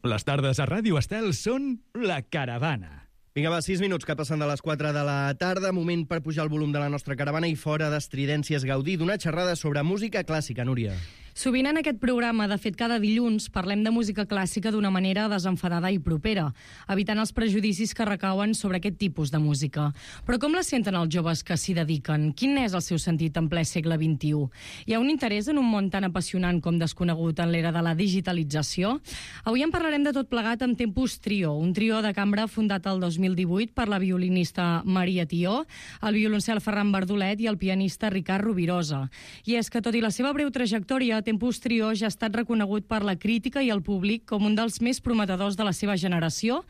Les tardes a Ràdio Estel són La Caravana. Vinga, va, 6 minuts que passen de les 4 de la tarda. Moment per pujar el volum de la nostra caravana i fora d'estridències gaudir d'una xerrada sobre música clàssica, Núria. Sovint en aquest programa, de fet cada dilluns, parlem de música clàssica d'una manera desenfadada i propera, evitant els prejudicis que recauen sobre aquest tipus de música. Però com la senten els joves que s'hi dediquen? Quin és el seu sentit en ple segle XXI? Hi ha un interès en un món tan apassionant com desconegut en l'era de la digitalització? Avui en parlarem de tot plegat amb Tempus Trio, un trio de cambra fundat el 2018 per la violinista Maria Tió, el violoncel Ferran Bardolet i el pianista Ricard Rovirosa. I és que, tot i la seva breu trajectòria, Tempus Trio ja ha estat reconegut per la crítica i el públic com un dels més prometedors de la seva generació,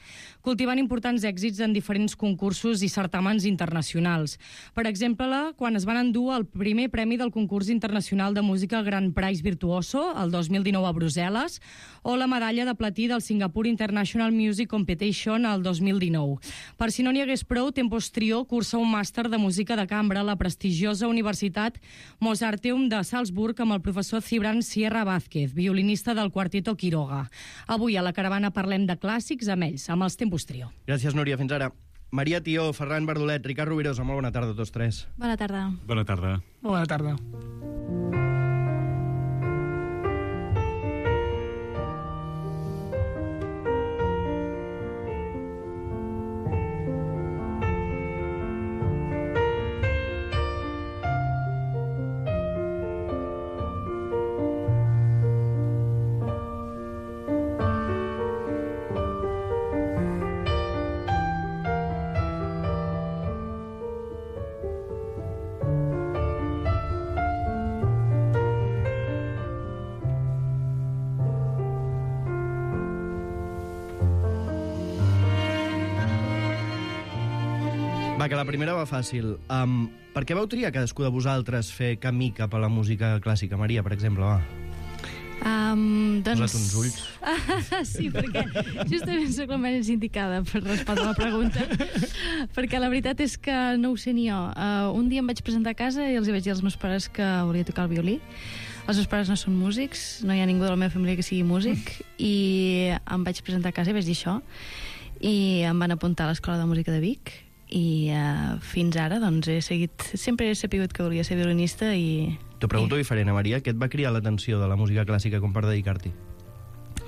cultivant importants èxits en diferents concursos i certàmens internacionals. Per exemple, quan es van endur el primer premi del concurs internacional de música Grand Prix Virtuoso, el 2019 a Brussel·les, o la medalla de platí del Singapore International Music Competition el 2019. Per si no n'hi hagués prou, Tempus Trio cursa un màster de música de cambra a la prestigiosa Universitat Mozarteum de Salzburg amb el professor Cibran Sierra Vázquez, violinista del Quarteto Quiroga. Avui a la caravana parlem de clàssics amb ells, amb els Tempus Trio. Gràcies, Núria. Fins ara. Maria Tió, Ferran Bardolet, Ricard Rovirosa, molt bona tarda a tots tres. Bona tarda. Bona tarda. Bona tarda. Va, que la primera va fàcil. Per què vau triar cadascú de vosaltres fer camí cap a la música clàssica? Maria, per exemple, va. Posa't uns ulls. Sí, perquè justament soc la més indicada per respondre la pregunta. Perquè la veritat és que no ho sé ni jo. Un dia em vaig presentar a casa i els vaig dir als meus pares que volia tocar el violí. Els meus pares no són músics, no hi ha ningú de la meva família que sigui músic, i em vaig presentar a casa i vaig dir això, i em van apuntar a l'Escola de Música de Vic, i fins ara doncs sempre he sapigut que volia ser violinista. I t'ho pregunto diferent, Maria, què et va cridar l'atenció de la música clàssica com per dedicar-t'hi?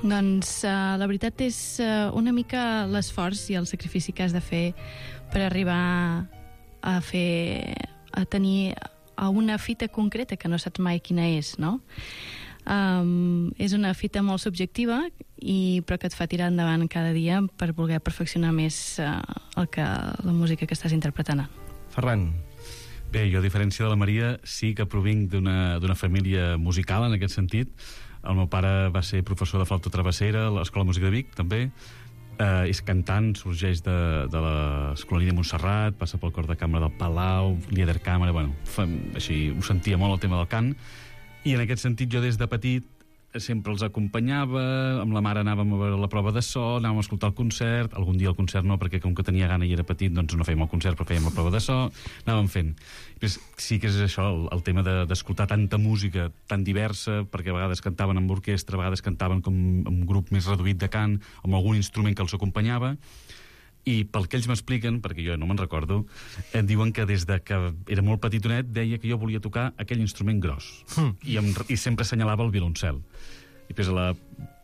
Doncs la veritat és una mica l'esforç i el sacrifici que has de fer per arribar a tenir una fita concreta que no saps mai quina és, no? És una fita molt subjectiva, però que et fa tirar endavant cada dia per voler perfeccionar més la música que estàs interpretant. Ferran. Bé, jo, a diferència de la Maria, sí que provinc d'una família musical, en aquest sentit. El meu pare va ser professor de flauta travessera a l'Escola de Música de Vic, també. És cantant, sorgeix de l'Escolania de Montserrat, passa pel cor de cambra del Palau, Liederkammer, bueno, així ho sentia molt el tema del cant. I en aquest sentit jo des de petit sempre els acompanyava, amb la mare anàvem a veure la prova de so, anàvem a escoltar el concert, algun dia el concert no, perquè com que tenia gana i era petit, doncs no fèiem el concert, però fèiem la prova de so, anàvem fent. Pues sí que és això, el tema d'escoltar tanta música tan diversa, perquè a vegades cantaven amb orquestra, a vegades cantaven com un grup més reduït de cant, amb algun instrument que els acompanyava. I pel que ells m'expliquen, perquè jo no me'n recordo, diuen que des de que era molt petitonet deia que jo volia tocar aquell instrument gros i sempre assenyalava el violoncel. I després la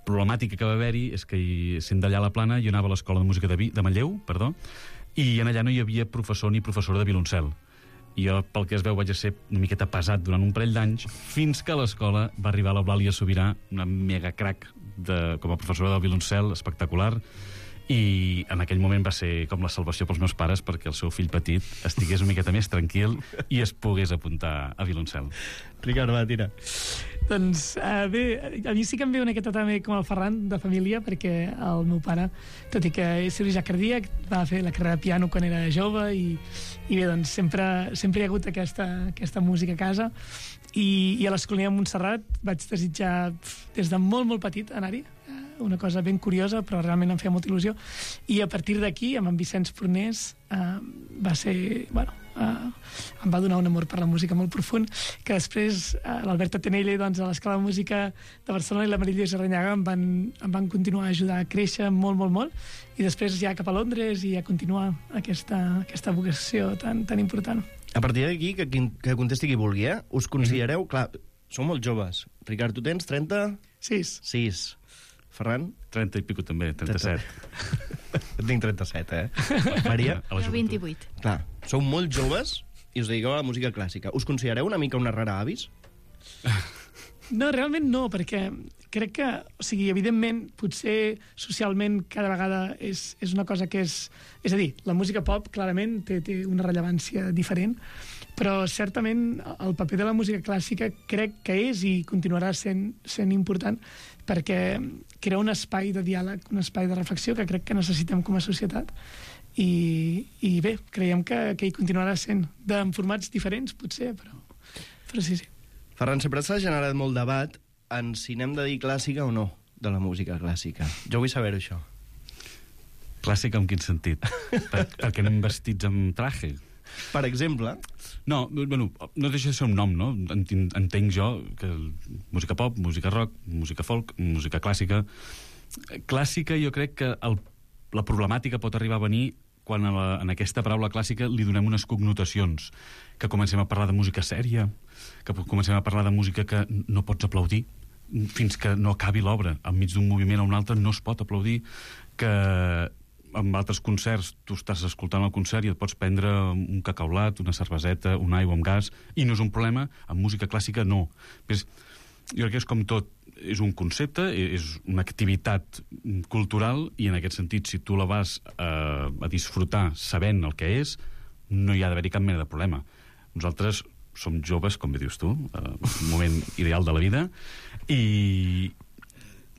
problemàtica que va haver-hi és que sent d'allà a la Plana jo anava a l'Escola de Música de Manlleu, i en allà no hi havia professor ni professora de violoncel. I jo, pel que es veu, vaig ser una miqueta pesat durant un parell d'anys, fins que a l'escola va arribar l'Eulàlia Sobirà, una mega crac com a professora del violoncel, espectacular, i en aquell moment va ser com la salvació pels meus pares perquè el seu fill petit estigués una miqueta més tranquil i es pogués apuntar a violoncel. Ricard, va, tira. Doncs bé, a mi sí que em ve una miqueta també com el Ferran, de família, perquè el meu pare, tot i que és cirurgià cardíac, va fer la carrera de piano quan era jove i bé, doncs sempre hi ha hagut aquesta música a casa i a l'Escolania de Montserrat vaig desitjar des de molt, molt petit anar-hi. una cosa ben curiosa, però realment em feia molta il·lusió. I a partir d'aquí, amb en Vicenç Fornés, va ser... em va donar un amor per la música molt profund, que després l'Albert Atenelle, doncs, a l'Escola de Música de Barcelona, i la Maria Lluïsa Ranyaga em van continuar a ajudar a créixer molt, molt, molt, i després ja cap a Londres i a continuar aquesta vocació tan important. A partir d'aquí, que contesti qui vulgui, us considereu... Clar, sou molt joves. Ricard, tu tens 30? 6. Ferran? 30 i pico també, 37. Tinc 37, Maria? Jo 28. Clar, sou molt joves i us dediqueu a la música clàssica. Us considereu una mica una rara avis? No, realment no, perquè crec que, o sigui, evidentment, potser socialment cada vegada és una cosa que és... És a dir, la música pop, clarament, té una rellevància diferent, però certament el paper de la música clàssica crec que és i continuarà sent important, perquè crea un espai de diàleg, un espai de reflexió que crec que necessitem com a societat. I bé, creiem que hi continuarà sent, en formats diferents, potser, però sí. Ferran, sempre s'ha generat molt debat en si n'hem de dir clàssica o no, de la música clàssica. Jo vull saber això. Clàssica en quin sentit? Perquè anem vestits amb traje? Per exemple... No, bueno, no deixa de ser un nom, no? Entenc jo que música pop, música rock, música folk, música clàssica... Clàssica, jo crec que la problemàtica pot arribar a venir quan en aquesta paraula clàssica li donem unes connotacions, que comencem a parlar de música sèria, que comencem a parlar de música que no pots aplaudir fins que no acabi l'obra. Enmig d'un moviment o un altre no es pot aplaudir, que en altres concerts tu estàs escoltant el concert i et pots prendre un cacaulat, una cerveseta, una aigua amb gas, i no és un problema. En música clàssica no. Però jo crec que és com tot, és un concepte, és una activitat cultural, i en aquest sentit, si tu la vas a disfrutar sabent el que és, no hi ha d'haver-hi cap mena de problema. Nosaltres som joves, com bé dius tu, un moment ideal de la vida, i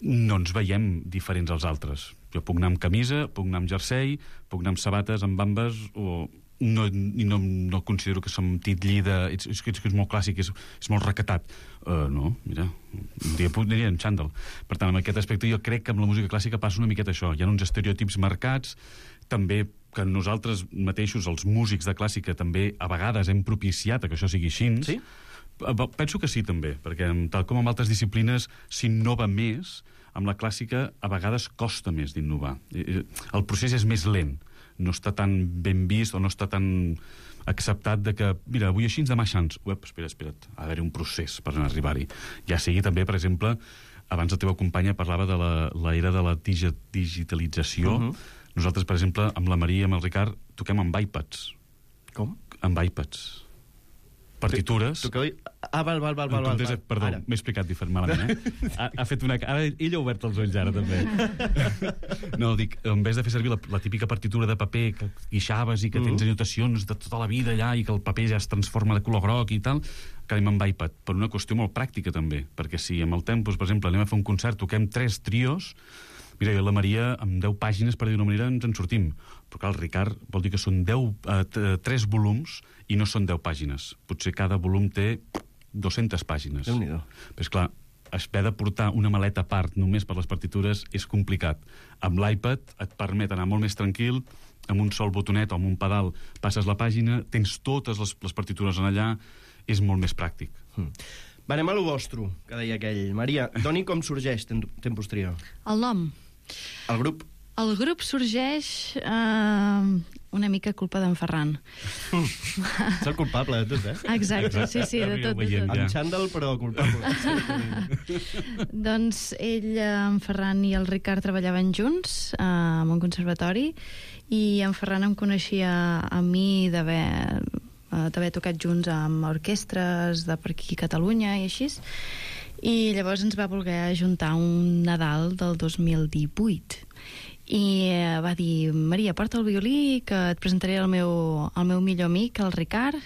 no ens veiem diferents als altres. Jo puc anar amb camisa, puc anar amb jersei, puc anar amb sabates, amb bambes, o... No considero que som titllida, és que és molt clàssic, és molt recatat. No, mira, un dia aniria en xandall. Per tant, en aquest aspecte jo crec que amb la música clàssica passa una miqueta això. Hi ha uns estereotips marcats, també que nosaltres mateixos, els músics de clàssica, també a vegades hem propiciat que això sigui així. Sí? Penso que sí, també, perquè tal com en altres disciplines s'innova més, amb la clàssica a vegades costa més d'innovar. El procés és més lent, no està tan ben vist o no està tan acceptat de que, mira, avui així, demà aixans. Espera't, ha d'haver un procés per arribar-hi. Ja sigui també, per exemple, abans la teva companya parlava de l'era de la digitalització. Nosaltres, per exemple, amb la Maria i amb el Ricard, toquem amb iPads. Com? Amb iPads. Partitures... Val. Perdó, m'he explicat malament, Ha fet una... Ara ell ha obert els ulls, ara, també. No, dic, en vez de fer servir la típica partitura de paper que guixaves i que tens anotacions de tota la vida allà i que el paper ja es transforma de color groc i tal, que anem amb iPad, per una qüestió molt pràctica, també, perquè si amb el Tempus, per exemple, anem a fer un concert, toquem 3 trios... Mira, jo i la Maria, amb 10 pàgines, per dir d'una manera, ens en sortim. Però clar, el Ricard vol dir que són 3 volums i no són 10 pàgines. Potser cada volum té 200 pàgines. Déu-n'hi-do. Però esclar, haver de portar una maleta a part només per les partitures és complicat. Amb l'iPad et permet anar molt més tranquil, amb un sol botonet o amb un pedal passes la pàgina, tens totes les partitures en allà, és molt més pràctic. Va, anem a lo vostre, que deia aquell. Maria, doni com sorgeix Tempus Trio. El nom. El grup? El grup sorgeix una mica culpa d'en Ferran. És el culpable de tot, Exacte, sí, de tot. En xandall, però culpable. Doncs ell, en Ferran i el Ricard treballaven junts en un conservatori, i en Ferran em coneixia a mi d'haver tocat junts amb orquestres de per aquí a Catalunya i així, i llavors ens va voler ajuntar un Nadal del 2018 i va dir: Maria, porta el violí, que et presentaré el meu millor amic, el Ricard,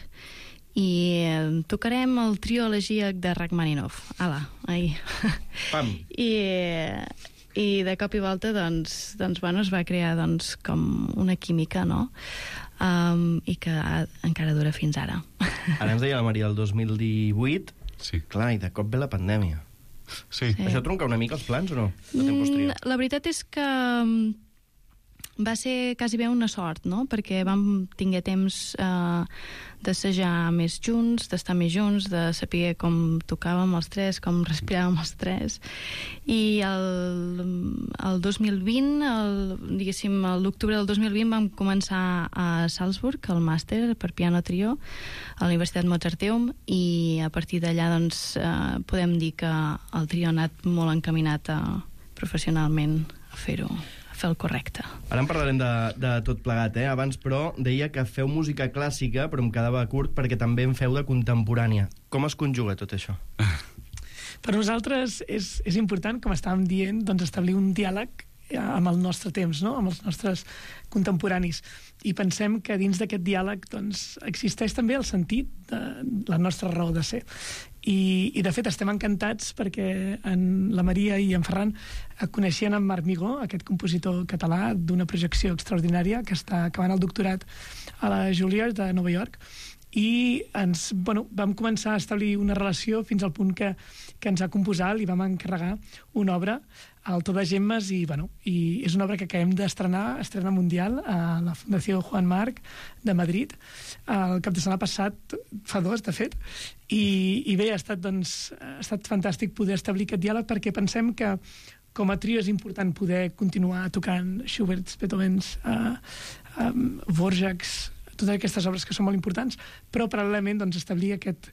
i tocarem el trio elegíac de Rachmaninoff. Ala, ahí. Pam. I de cop i volta doncs, bueno, es va crear com una química, no? I que encara dura fins ara. Ara ens deia la Maria el 2018. Sí. Clar, i de cop ve la pandèmia. Sí. Això tronca una mica els plans o no? La veritat és que va ser quasi bé una sort, no? Perquè vam tinguer temps d'assajar més junts, d'estar més junts, de saber com tocàvem els tres, com respiràvem els tres. I el 2020, diguéssim, l'octubre del 2020 vam començar a Salzburg, el màster per piano trio, a la Universitat Mozarteum, i a partir d'allà doncs, podem dir que el trio ha anat molt encaminat professionalment a fer el correcte. Ara en parlarem de tot plegat, Abans, però, deia que feu música clàssica, però em quedava curt perquè també en feu de contemporània. Com es conjuga tot això? Per nosaltres és important, com estàvem dient, doncs establir un diàleg amb el nostre temps, no? Amb els nostres contemporanis. I pensem que dins d'aquest diàleg doncs, existeix també el sentit de la nostra raó de ser. I de fet estem encantats perquè la Maria i en Ferran coneixien en Marc Migó, aquest compositor català d'una projecció extraordinària que està acabant el doctorat a la Juilliard de Nova York, i vam començar a establir una relació fins al punt que ens ha composat, li vam encarregar una obra, el To de Gemmes, i és una obra que acabem d'estrenar, estrena mundial a la Fundació Juan Marc de Madrid el cap de setmana passat, fa 2 de fet, i bé, ha estat fantàstic poder establir aquest diàleg perquè pensem que com a trio és important poder continuar tocant Schuberts, Beethovens, Dvořáks, totes aquestes obres que són molt importants, però paral·lelament doncs, establir aquest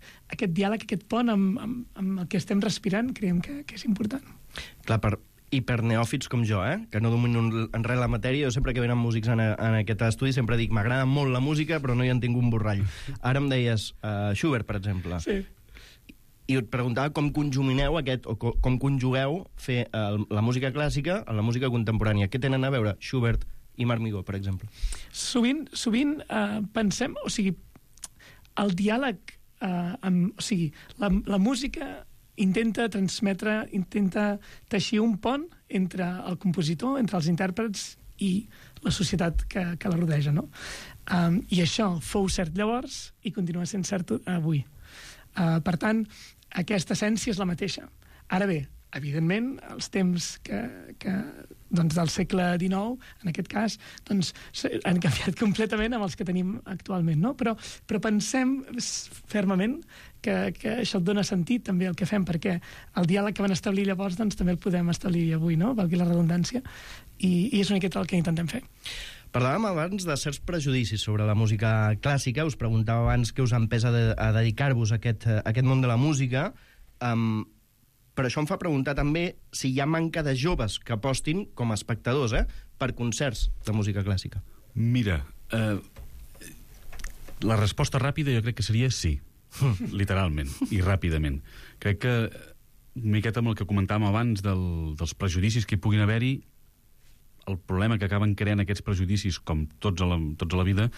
diàleg, aquest pont amb el que estem respirant, creiem que és important. Clar, per hiperneòfits com jo, que no domino en res la matèria, jo sempre que venen músics en aquest estudi sempre dic, m'agrada molt la música, però no hi entenc un borrall. Ara em deies Schubert, per exemple. Sí. I et preguntava com conjumineu com conjugueu fer la música clàssica amb la música contemporània. Què tenen a veure Schubert i Marc Migó, per exemple? Sovint pensem, o sigui, el diàleg, o sigui, la música intenta transmetre, intenta teixir un pont entre el compositor, entre els intèrprets i la societat que la rodeja, no? I això fou cert llavors i continua sent cert avui. Per tant, aquesta essència és la mateixa. Ara bé, evidentment, els temps del segle XIX, en aquest cas, doncs, han canviat completament amb els que tenim actualment, no? Però pensem fermament que això dona sentit també al que fem, perquè el diàleg que van establir llavors doncs, també el podem establir avui, no? Valgui la redundància, i és una miqueta el que intentem fer. Parlàvem abans de certs prejudicis sobre la música clàssica, us preguntava abans què us ha empès a dedicar-vos a aquest món de la música, però això em fa preguntar també si hi ha manca de joves que apostin com a espectadors per concerts de música clàssica. Mira, la resposta ràpida jo crec que seria sí, literalment, i ràpidament. Crec que, una miqueta amb el que comentàvem abans dels prejudicis que hi puguin haver-hi, el problema que acaben creant aquests prejudicis, com tots a la vida,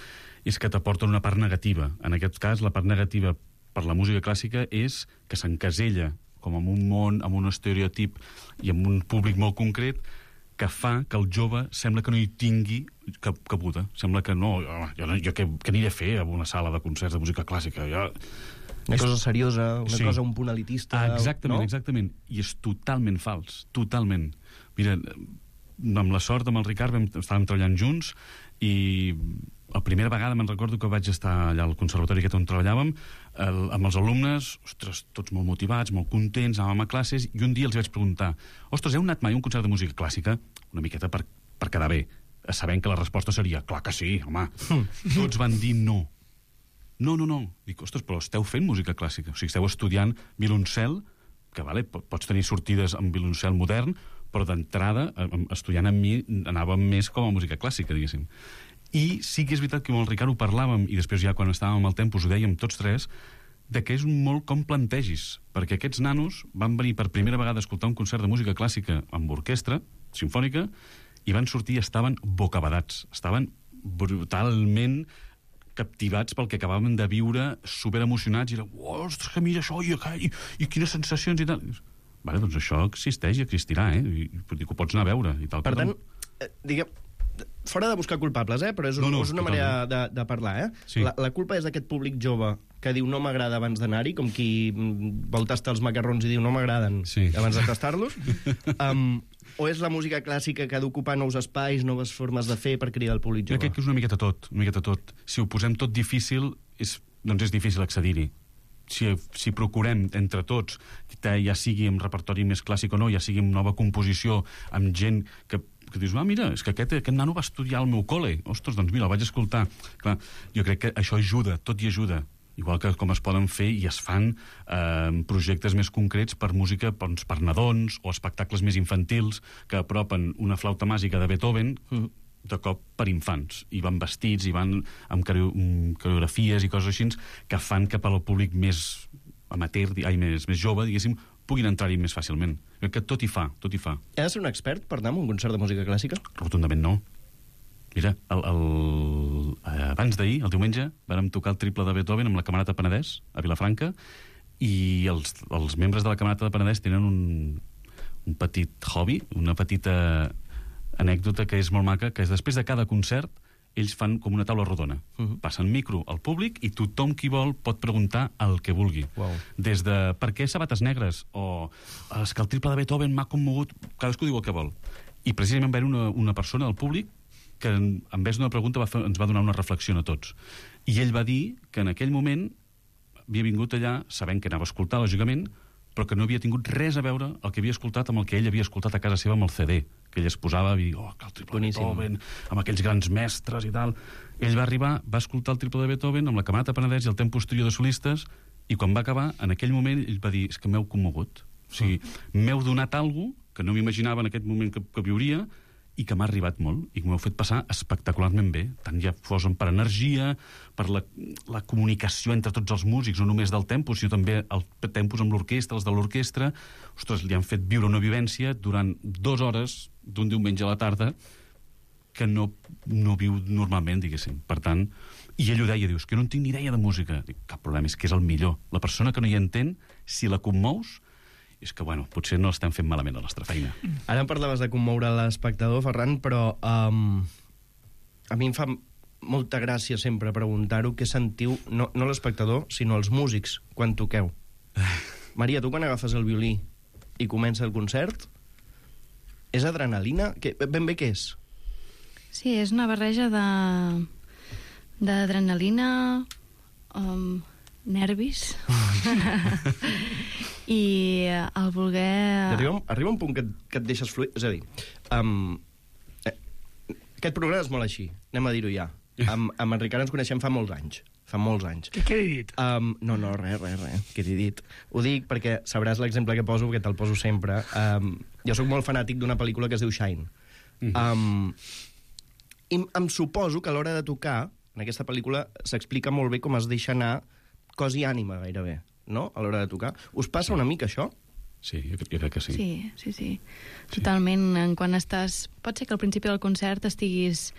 és que t'aporten una part negativa. En aquest cas, la part negativa per la música clàssica és que s'encasella com en un món, amb un estereotip i amb un públic molt concret, que fa que el jove sembla que no hi tingui cabuda. Sembla que no, jo què aniré a fer a una sala de concerts de música clàssica? Una cosa seriosa, una cosa un punt elitista... Exactament, exactament. I és totalment fals, totalment. Mira, amb la sort, amb el Ricard, estàvem treballant junts i la primera vegada me'n recordo que vaig estar allà al conservatori aquest on treballàvem, amb els alumnes, ostres, tots molt motivats, molt contents, anàvem a classes, i un dia els vaig preguntar, ostres, heu anat mai a un concert de música clàssica? Una miqueta per quedar bé, sabent que la resposta seria, clar que sí, home. Tots van dir no. No. Dic, ostres, però esteu fent música clàssica, o sigui, esteu estudiant violoncel, que vale, pots tenir sortides amb violoncel modern, però d'entrada, estudiant amb mi, anàvem més com a música clàssica, diguéssim. I sí que és veritat que amb el Ricard ho parlàvem, i després ja quan estàvem al Tempus ho dèiem tots tres, de que és molt com plantegis, perquè aquests nanos van venir per primera vegada a escoltar un concert de música clàssica amb orquestra simfònica i van sortir i estaven bocabadats, estaven brutalment captivats pel que acabàvem de viure, superemocionats, i era, ostres, que mira això, i quines sensacions i tal. Vale, doncs això existeix i existirà, i ho pots anar a veure. I tal. Per tant, diguem, fora de buscar culpables, però és una manera de parlar, Sí. La culpa és d'aquest públic jove que diu no m'agrada abans d'anar-hi, com qui vol tastar els macarrons i diu no m'agraden abans de tastar-los, o és la música clàssica que ha d'ocupar nous espais, noves formes de fer per cridar el públic jove? Jo crec que és una miqueta tot. Si ho posem tot difícil, doncs és difícil accedir-hi. Si procurem entre tots, ja sigui amb repertori més clàssic o no, ja sigui amb nova composició, amb gent que dius, mira, és que aquest nano va estudiar al meu col·le. Ostres, doncs mira, el vaig escoltar. Clar, jo crec que això ajuda, tot hi ajuda. Igual que com es poden fer i es fan projectes més concrets per música per nadons o espectacles més infantils que apropen una flauta màgica de Beethoven de cop per infants, i van vestits i van amb coreografies i coses així que fan que per al públic més amateur, més jove, diguéssim, puguin entrar-hi més fàcilment. Crec que tot hi fa. He de ser un expert per anar a un concert de música clàssica? Rotundament no. Mira, abans d'ahir, el diumenge, vàrem tocar el triple de Beethoven amb la Camerata Penedès, a Vilafranca, i els membres de la Camerata de Penedès tenen un petit hobby, una petita anècdota que és molt maca, que és després de cada concert ells fan com una taula rodona. Passen micro al públic i tothom qui vol pot preguntar el que vulgui. Des de per què sabates negres o és que el triple de Beethoven m'ha commogut, cadascú diu el que vol. I precisament va haver una persona del públic que en vez d'una pregunta ens va donar una reflexió a tots. I ell va dir que en aquell moment havia vingut allà sabent que anava a escoltar, lògicament, però que no havia tingut res a veure el que havia escoltat amb el que ell havia escoltat a casa seva amb el CD, que ell es posava i dir, que el triple de Beethoven, amb aquells grans mestres i tal. Ell va arribar, va escoltar el triple de Beethoven amb la Camerata Penedès i el temps posterior de solistes, i quan va acabar, en aquell moment, ell va dir, és que m'heu commogut. O sigui, m'heu donat alguna cosa que no m'imaginava en aquest moment que viuria, i que m'ha arribat molt, i que m'heu fet passar espectacularment bé, tant ja fos per energia, per la comunicació entre tots els músics, no només del tempus, sinó també el tempus amb l'orquestra, els de l'orquestra. Ostres, li han fet viure una vivència durant 2 hores d'un diumenge a la tarda que no viu normalment, diguéssim. Per tant, i ell ho deia, dius, que no en tinc ni idea de música. Dic, cap problema, és que és el millor. La persona que no hi entén, si la commous, és que, potser no l'estem fent malament a la nostra feina. Ara em parlaves de commoure l'espectador, Ferran, però a mi em fa molta gràcia sempre preguntar-ho què sentiu, no l'espectador, sinó els músics, quan toqueu. Maria, tu quan agafes el violí i comença el concert, és adrenalina? Ben bé què és? Sí, és una barreja d'adrenalina, nervis i el voler... Arriba un punt que et deixes fluir. És a dir, aquest programa és molt així, anem a dir-ho ja. Amb en Ricard ens coneixem fa molts anys. Què he dit? No, res. Què t'he dit? Ho dic perquè sabràs l'exemple que poso, perquè te'l poso sempre. Jo sóc molt fanàtic d'una pel·lícula que es diu Shine. I em suposo que a l'hora de tocar, en aquesta pel·lícula s'explica molt bé com es deixa anar cos i ànima, gairebé, no?, a l'hora de tocar. Us passa una mica això? Sí, jo crec que sí. Sí. Totalment. Quan estàs... Pot ser que al principi del concert estiguis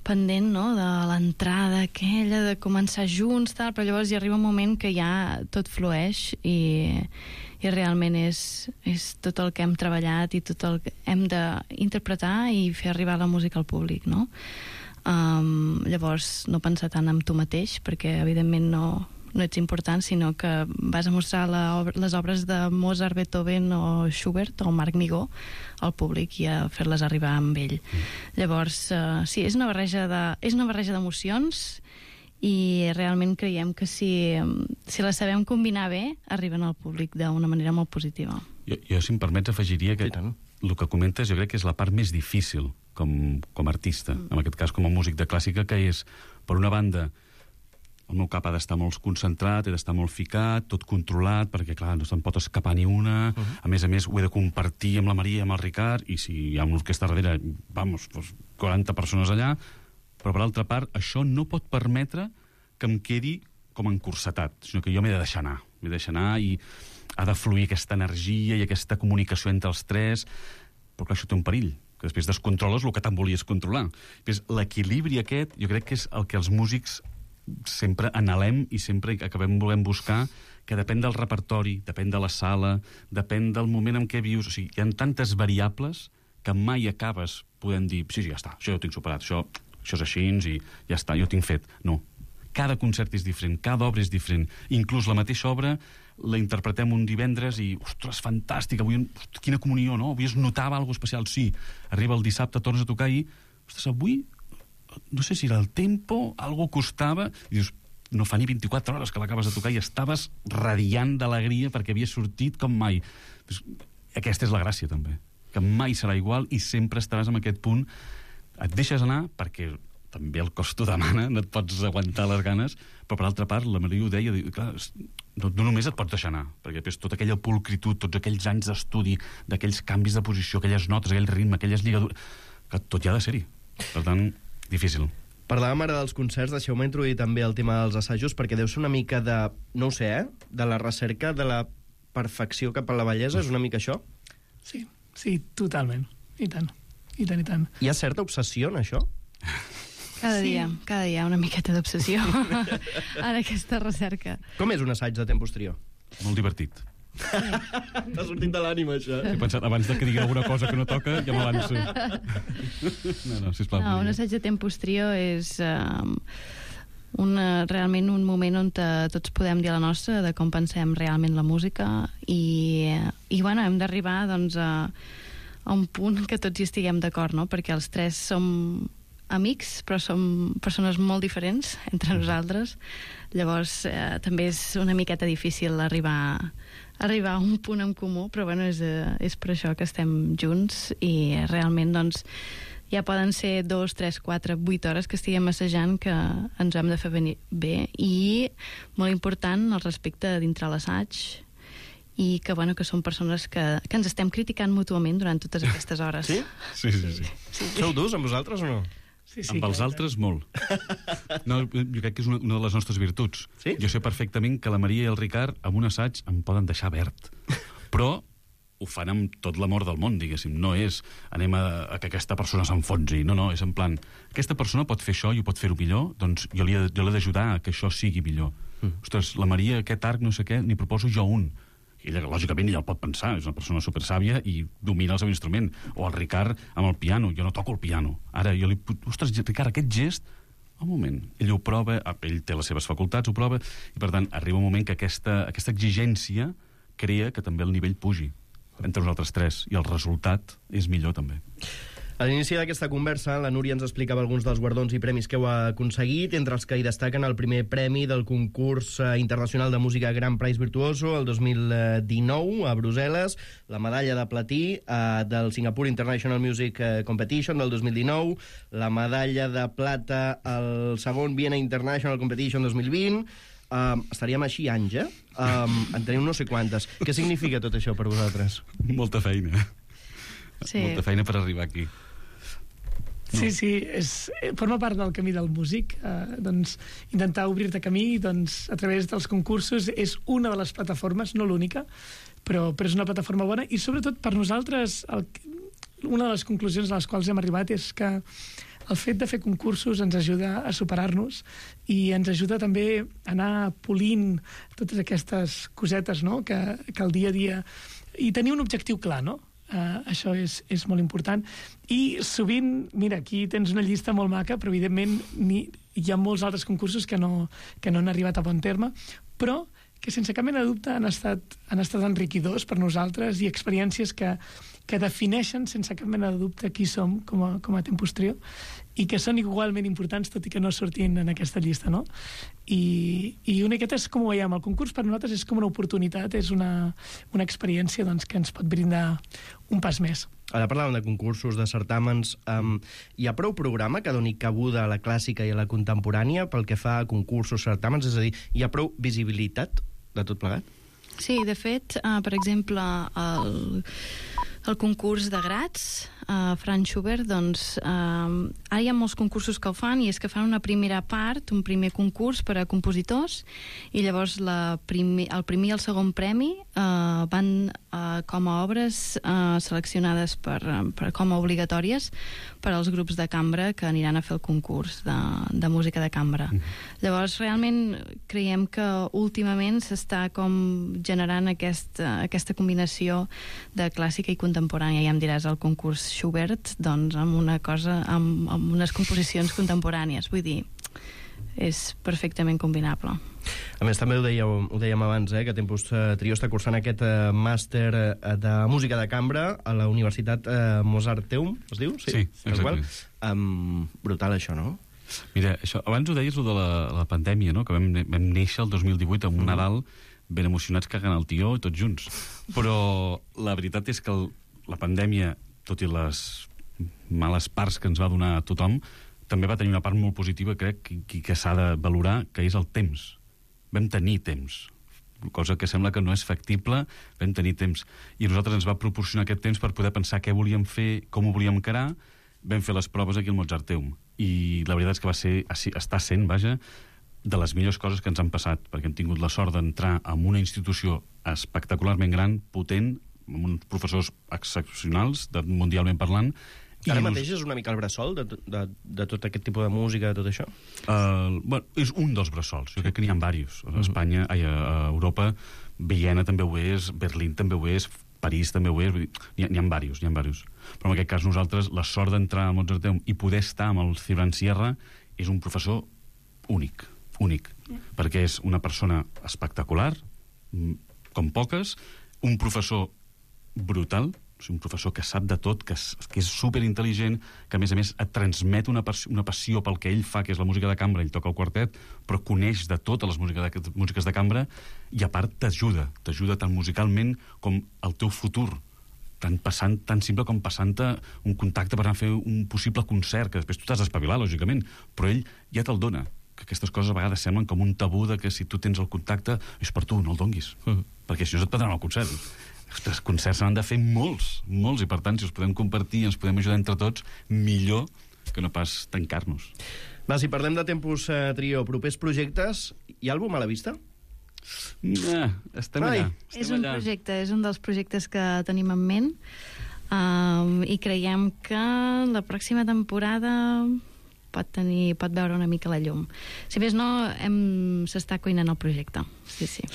pendent, no?, de l'entrada aquella, de començar junts, tal, però llavors hi arriba un moment que ja tot flueix i realment és tot el que hem treballat i tot el que hem d'interpretar i fer arribar la música al públic, no? Llavors, no pensar tant en tu mateix, perquè evidentment no ets important, sinó que vas a mostrar les obres de Mozart, Beethoven o Schubert o Marc Migó al públic i a fer-les arribar amb ell. Llavors, sí, és una barreja d'emocions i realment creiem que si les sabem combinar bé, arriben al públic d'una manera molt positiva. Jo si em permets, afegiria que el que comentes jo crec que és la part més difícil com a artista, en aquest cas com a músic de clàssica, que és, per una banda, el meu cap ha d'estar molt concentrat, he d'estar molt ficat, tot controlat, perquè, clar, no se'n pot escapar ni una. A més, ho he de compartir amb la Maria i amb el Ricard, i si hi ha una orquestra darrere, 40 persones allà, però, per altra part, això no pot permetre que em quedi com encursetat, sinó que jo m'he de deixar anar, i ha de fluir aquesta energia i aquesta comunicació entre els tres, però, clar, això té un perill, que després descontroles el que tant volies controlar. L'equilibri aquest, jo crec que és el que els músics sempre anhelem i sempre acabem volent buscar, que depèn del repertori, depèn de la sala, depèn del moment en què vius. O sigui, hi ha tantes variables que mai acabes podent dir, sí, ja està, això ja ho tinc superat, això és així i ja està, jo ho tinc fet. No. cada concert és diferent, cada obra és diferent. Inclús la mateixa obra la interpretem un divendres i, ostres, fantàstic, avui, quina comunió, no? Avui es notava alguna especial. Sí, arriba el dissabte, tornes a tocar i, ostres, avui, no sé si era el tempo, algo costava, i dius, no fa ni 24 hores que l'acabes de tocar i estaves radiant d'alegria perquè havia sortit com mai. Aquesta és la gràcia, també, que mai serà igual i sempre estaràs en aquest punt. Et deixes anar perquè també el cos t'ho demana, no et pots aguantar les ganes, però per altra part, la Maria ho deia, clar, no només et pots deixar anar, perquè després tota aquella pulcritud, tots aquells anys d'estudi, d'aquells canvis de posició, aquelles notes, aquell ritme, aquelles lligadures, que tot hi ha de ser-hi. Per tant, difícil. Parlàvem ara dels concerts, deixeu-me introduir també el tema dels assajos, perquè deu ser una mica de, no ho sé, de la recerca de la perfecció cap a la bellesa, és una mica això? Sí, totalment. I tant. Hi ha certa obsessió en això? Cada dia una miqueta d'obsessió en aquesta recerca. Com és un assaig de temps posterior? Molt divertit. T'ha sortit de l'ànima, això. He pensat, abans de que digui alguna cosa que no toca, ja m'avanço. No, sisplau. No, un assaig de temps posterior és realment un moment on tots podem dir la nostra de com pensem realment la música i bueno, hem d'arribar doncs, a un punt que tots hi estiguem d'acord, no? Perquè els tres som amics, però som persones molt diferents entre nosaltres. Llavors, també és una miqueta difícil arribar a un punt en comú, però bueno, és per això que estem junts i realment, doncs, ja poden ser 2, 3, 4, 8 hores que estiguem assajant que ens hem de fer venir bé i, molt important, el respecte dintre l'assaig i que, bueno, que som persones que ens estem criticant mútuament durant totes aquestes hores. Sí? Sí. Sou durs amb vosaltres o no? Sí, amb els altres, molt. No, jo crec que és una de les nostres virtuts. Sí? Jo sé perfectament que la Maria i el Ricard, amb un assaig, em poden deixar verd. Però ho fan amb tot l'amor del món, diguéssim. No és anem a que aquesta persona s'enfonsi. No, és en plan, aquesta persona pot fer això i ho pot fer-ho millor, doncs jo l'he d'ajudar a que això sigui millor. Ostres, la Maria, aquest arc, no sé què, n'hi proposo jo un. I ella, lògicament, ella el pot pensar, és una persona supersàvia i domina el seu instrument. O el Ricard amb el piano, jo no toco el piano. Ara jo li... Ostres, Ricard, aquest gest... Un moment, ell ho prova, ell té les seves facultats, ho prova, i per tant arriba un moment que aquesta exigència crea que també el nivell pugi entre nosaltres tres, i el resultat és millor també. A l'inici d'aquesta conversa, la Núria ens explicava alguns dels guardons i premis que heu aconseguit, entre els que hi destaquen el primer premi del concurs internacional de música Grand Prix Virtuoso el 2019 a Brussel·les, la medalla de platí del Singapore International Music Competition del 2019, la medalla de plata al segon Viena International Competition 2020. Estaríem així anys, en tenim no sé quantes. Què significa tot això per vosaltres? Molta feina. Sí. Molta feina per arribar aquí. Sí, forma part del camí del músic. Doncs, intentar obrir-te camí doncs, a través dels concursos és una de les plataformes, no l'única, però és una plataforma bona i sobretot per nosaltres una de les conclusions a les quals hem arribat és que el fet de fer concursos ens ajuda a superar-nos i ens ajuda també a anar polint totes aquestes cosetes, no? que el dia a dia... I tenir un objectiu clar, no? Això és molt important. I sovint, mira, aquí tens una llista molt maca, però evidentment hi ha molts altres concursos que no han arribat a bon terme, però que sense cap mena de dubte han estat enriquidors per nosaltres i experiències que defineixen sense cap mena de dubte qui som com a Tempus Trio i que són igualment importants tot i que no sortin en aquesta llista, no? I una miqueta és com ho veiem, el concurs per nosaltres és com una oportunitat, és una experiència doncs, que ens pot brindar un pas més. Ara parlàvem de concursos, de certàmens. Hi ha prou programa que doni cabuda a la clàssica i a la contemporània pel que fa a concursos, certàmens? És a dir, hi ha prou visibilitat de tot plegat? Sí, de fet, per exemple, el concurs de Graz, Franz Schubert, doncs, ara hi ha molts concursos que ho fan i és que fan una primera part, un primer concurs per a compositors i llavors el primer i el segon premi van com a obres seleccionades com a obligatòries per als grups de cambra que aniran a fer el concurs de música de cambra. Llavors, realment creiem que últimament s'està com generant aquesta combinació de clàssica i contemporània. Ja em diràs, el concurs Schubert, doncs, amb unes composicions contemporànies. Vull dir, és perfectament combinable. A més, també ho dèiem abans, que Tempus Trio està cursant aquest màster de música de cambra a la Universitat Mozarteum, es diu? Sí, exacte. Brutal, això, no? Mira, això, abans ho deies, de la pandèmia, no? Que vam néixer el 2018 amb un Nadal ben emocionats cagant el tió tots junts. Però la veritat és que la pandèmia, tot i les males parts que ens va donar a tothom, també va tenir una part molt positiva, crec, que s'ha de valorar, que és el temps. Vam tenir temps, cosa que sembla que no és factible, vam tenir temps. I a nosaltres ens va proporcionar aquest temps per poder pensar què volíem fer, com ho volíem encarar. Vam fer les proves aquí al Mozarteum. I la veritat és que està sent, vaja, de les millors coses que ens han passat, perquè hem tingut la sort d'entrar en una institució espectacularment gran, potent, amb uns professors excepcionals, mundialment parlant. Ara mateix és una mica el bressol de tot aquest tipus de música, de tot això? Bueno, és un dels bressols. Jo crec que n'hi ha diversos. A Espanya, a Europa, Viena també ho és, Berlín també ho és, París també ho és, n'hi ha diversos. Però en aquest cas nosaltres, la sort d'entrar al Mozarteum i poder estar amb el Cibran Sierra és un professor únic, perquè és una persona espectacular, com poques, un professor brutal, un professor que sap de tot, que és superintel·ligent, que a més et transmet una passió pel que ell fa, que és la música de cambra, ell toca el quartet, però coneix de totes les músiques de cambra, i a part t'ajuda tant musicalment com el teu futur, tan simple com passant-te un contacte per anar a fer un possible concert, que després tu t'has d'espavilar, lògicament, però ell ja te'l dona, que aquestes coses a vegades semblen com un tabú de que si tu tens el contacte és per tu, no el donguis, perquè si no et prendran el concert. Els concerts s'han de fer molts, i per tant, si els podem compartir i ens podem ajudar entre tots, millor que no pas tancar-nos. Va, si parlem de Tempus Trio, propers projectes, hi ha àlbum a la vista? Estem allà. És un dels projectes que tenim en ment, i creiem que la pròxima temporada pot veure una mica la llum. Si més no, s'està cuinant el projecte. Sí.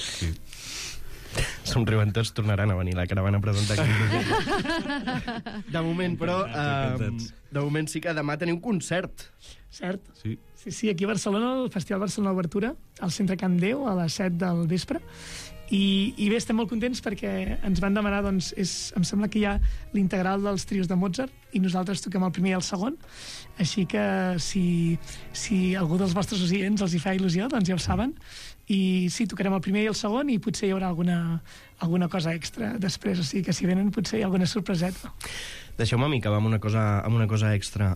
Somriuen tots, tornaran a venir la caravana a presentar aquí. De moment, però, de moment sí que demà teniu un concert. Cert? Sí, aquí a Barcelona, el Festival Barcelona Obertura, al Centre Can Déu, a les 7 del vespre. I bé, estem molt contents perquè ens van demanar, doncs, em sembla que hi ha l'integral dels trios de Mozart i nosaltres toquem el primer i el segon, així que si algú dels vostres oients els hi fa il·lusió, doncs ja ho saben, i sí, tocarem el primer i el segon i potser hi haurà alguna cosa extra després, o sigui que si venen potser hi ha alguna sorpreseta. Deixeu-me a mi acabar amb una cosa extra,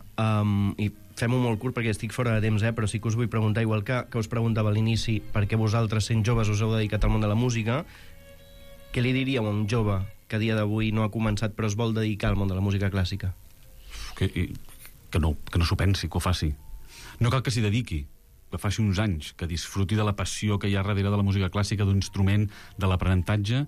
i fem-ho molt curt perquè estic fora de temps, però sí que us vull preguntar, igual que us preguntava a l'inici, perquè vosaltres, sent joves, us heu dedicat al món de la música, què li diríeu a un jove que a dia d'avui no ha començat però es vol dedicar al món de la música clàssica? Que no s'ho pensi, que ho faci. No cal que s'hi dediqui, que faci uns anys, que disfruti de la passió que hi ha darrere de la música clàssica, d'un instrument, de l'aprenentatge.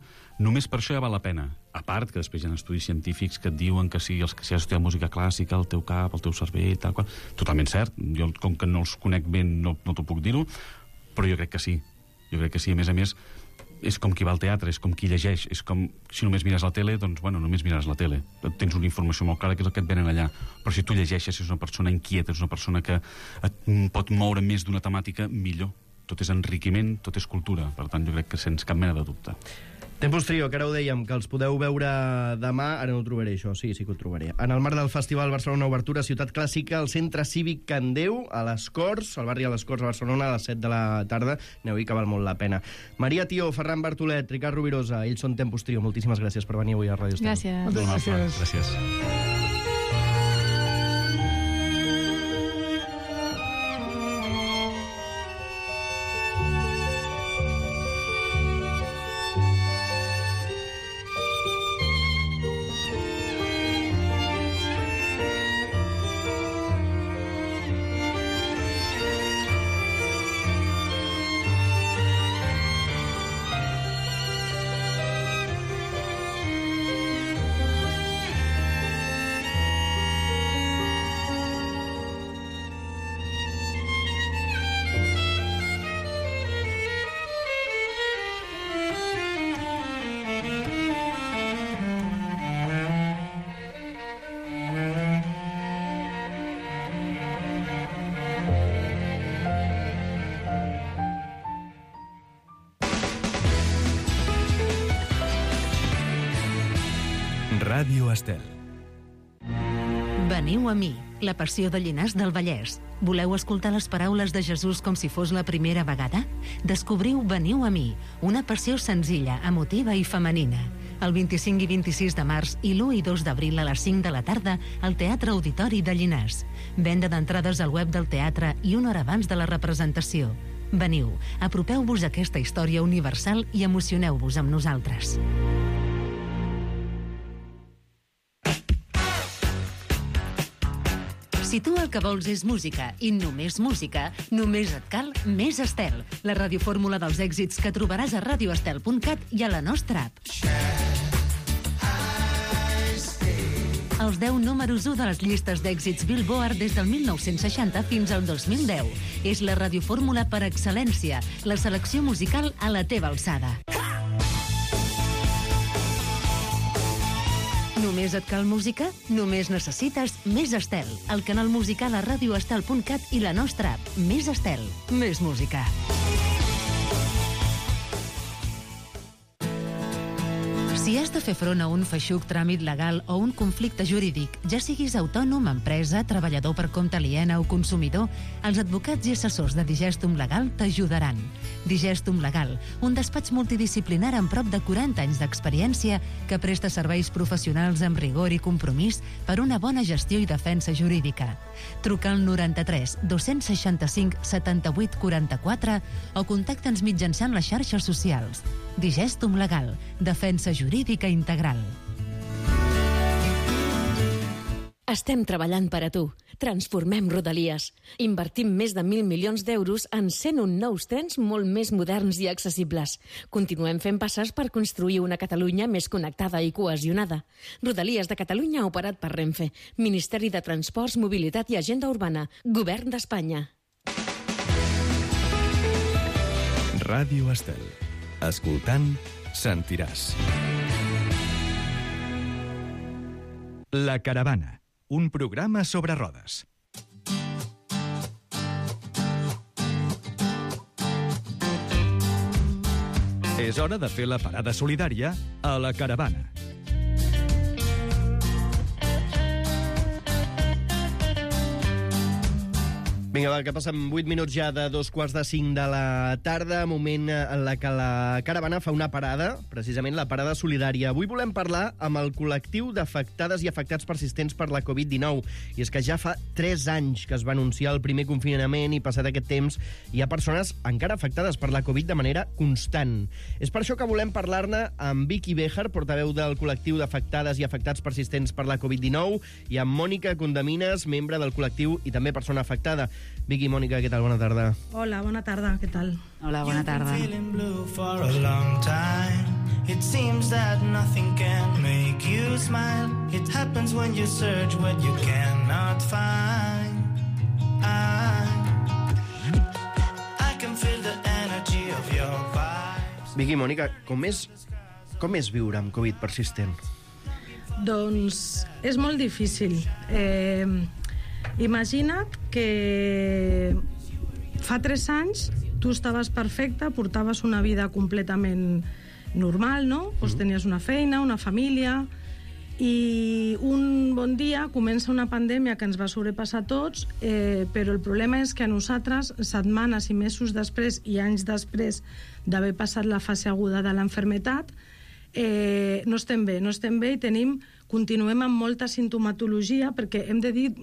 Només per això ja val la pena. A part, que després hi ha estudis científics que et diuen que si has estudiat música clàssica, el teu cap, el teu cervell, tal qual. Totalment cert. Jo, com que no els conec ben, no t'ho puc dir-ho, però jo crec que sí. A més, és com qui va al teatre, és com qui llegeix, és com si només mires la tele, doncs, bueno, només mires la tele. Tens una informació molt clara que és el que et venen allà. Però si tu llegeixes, si és una persona inquieta, és una persona que et pot moure més d'una temàtica, millor. Tot és enriquiment, tot és cultura. Per tant, jo crec que sense cap mena de dubte. Tempus Trio, que ara ho dèiem, que els podeu veure demà, ara no ho trobaré això, sí que ho trobaré. En el marc del Festival Barcelona Obertura, Ciutat Clàssica, al Centre Cívic Can Déu, a les Corts, al barri de les Corts, a Barcelona, a les 7 de la tarda. Aneu-hi, que val molt la pena. Maria Tió, Ferran Bartolet, Ricard Rovirosa, ells són Tempus Trio. Moltíssimes gràcies per venir avui a Ràdio Estel. Gràcies. Moltes gràcies. Gràcies. Ràdio Estel. Veniu a mi, la passió de Llinars del Vallès. Voleu escoltar les paraules de Jesús com si fos la primera vegada? Descobriu Veniu a mi, una passió senzilla, emotiva i femenina. El 25 i 26 de març i l'1 i 2 d'abril a les 5 de la tarda al Teatre Auditori de Llinars. Venda d'entrades al web del teatre i una hora abans de la representació. Veniu, apropeu-vos a aquesta història universal i emocioneu-vos amb nosaltres. Si tu el que vols és música i només música, només et cal Més Estel, la radiofórmula dels èxits que trobaràs a radioestel.cat i a la nostra app. Els 10 números 1 de les llistes d'èxits Billboard des del 1960 fins al 2010. És la radiofórmula per excel·lència, la selecció musical a la teva alçada. Només et cal música? Només necessites Més Estel, el canal musical a radioestel.cat i la nostra app. Més Estel, més música. Si has de fer front a un feixuc tràmit legal o un conflicte jurídic, ja siguis autònom, empresa, treballador per compte aliena o consumidor, els advocats i assessors de Digestum Legal t'ajudaran. Digestum Legal, un despatx multidisciplinar amb prop de 40 anys d'experiència que presta serveis professionals amb rigor i compromís per una bona gestió i defensa jurídica. Truca al 93 265 78 44 o contacta'ns mitjançant les xarxes socials. Digestum Legal, defensa jurídica integral. Estem treballant per a tu. Transformem Rodalies. Invertim més de 1.000 milions d'euros en 101 nous trens molt més moderns i accessibles. Continuem fent passes per construir una Catalunya més connectada i cohesionada. Rodalies de Catalunya operat per Renfe. Ministeri de Transports, Mobilitat i Agenda Urbana. Govern d'Espanya. Ràdio Estel. Escoltant, sentiràs. La Caravana, un programa sobre rodes. És hora de fer la parada solidària a La Caravana. Vinga, va, que passen 8 minuts ja de 2:45 de la tarda, moment en la que la Caravana fa una parada, precisament la parada solidària. Avui volem parlar amb el col·lectiu d'afectades i afectats persistents per la Covid-19. I és que ja fa 3 anys que es va anunciar el primer confinament i passat aquest temps hi ha persones encara afectades per la Covid de manera constant. És per això que volem parlar-ne amb Vicky Béjar, portaveu del col·lectiu d'afectades i afectats persistents per la Covid-19, i amb Mònica Condamines, membre del col·lectiu i també persona afectada. Vicky, Mònica, què tal? Bona tarda. Hola, bona tarda, què tal? Hola, bona tarda. It seems that nothing can make you smile. It happens when you search what you cannot find. I can feel the energy of your vibes. Vicky, Mònica, com és viure amb Covid persistent? Doncs és molt difícil. Imagina't que fa 3 anys tu estaves perfecta, portaves una vida completament normal, no? Pues tenies una feina, una família, i un bon dia comença una pandèmia que ens va sobrepassar a tots, però el problema és que a nosaltres, setmanes i mesos després i anys després d'haver passat la fase aguda de l'enfermetat, no estem bé i continuem amb molta sintomatologia, perquè hem de dir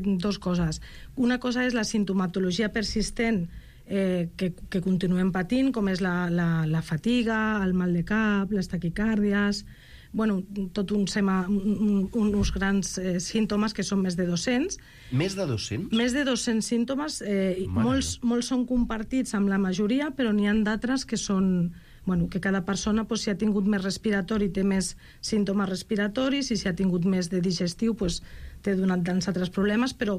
2 coses. Una cosa és la sintomatologia persistent que continuem patint, com és la fatiga, el mal de cap, les taquicàrdies, tot uns grans símptomes que són més de 200. Més de 200? Més de 200 símptomes, molts són compartits amb la majoria, però n'hi ha d'altres que són... que cada persona, si ha tingut més respiratori, té més símptomes respiratoris, i si ha tingut més de digestiu, té donat tants altres problemes, però